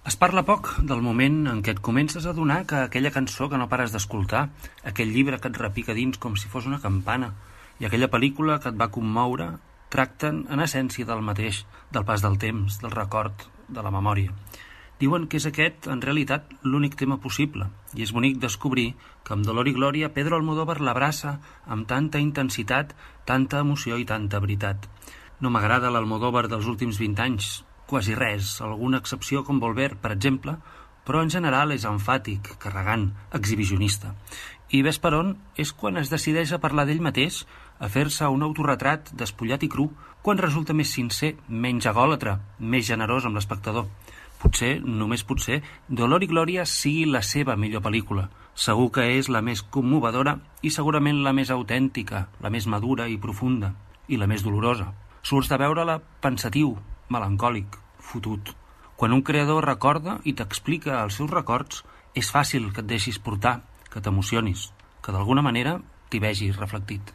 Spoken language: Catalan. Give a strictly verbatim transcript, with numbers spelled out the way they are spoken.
Es parla poc del moment en què et comences a adonar que aquella cançó que no pares d'escoltar, aquell llibre que et repica dins com si fos una campana i aquella pel·lícula que et va commoure tracten en essència del mateix, del pas del temps, del record, de la memòria. Diuen que és aquest, en realitat, l'únic tema possible, i és bonic descobrir que amb Dolor i Glòria Pedro Almodóvar l'abraça amb tanta intensitat, tanta emoció i tanta veritat. No m'agrada l'Almodóvar dels últims vint anys, quasi res, alguna excepció com Volver, per exemple, però en general és emfàtic, carregant, exhibicionista. I ves per on és quan es decideix a parlar d'ell mateix, a fer-se un autorretrat despullat i cru, quan resulta més sincer, menys egòlatre, més generós amb l'espectador. Potser, només potser, Dolor i Glòria sigui la seva millor pel·lícula. Segur que és la més commovedora i segurament la més autèntica, la més madura i profunda, i la més dolorosa. Surts de veure-la pensatiu, melancòlic, fotut. Quan un creador recorda i t'explica els seus records, és fàcil que et deixis portar, que t'emocionis, que d'alguna manera t'hi vegis reflectit.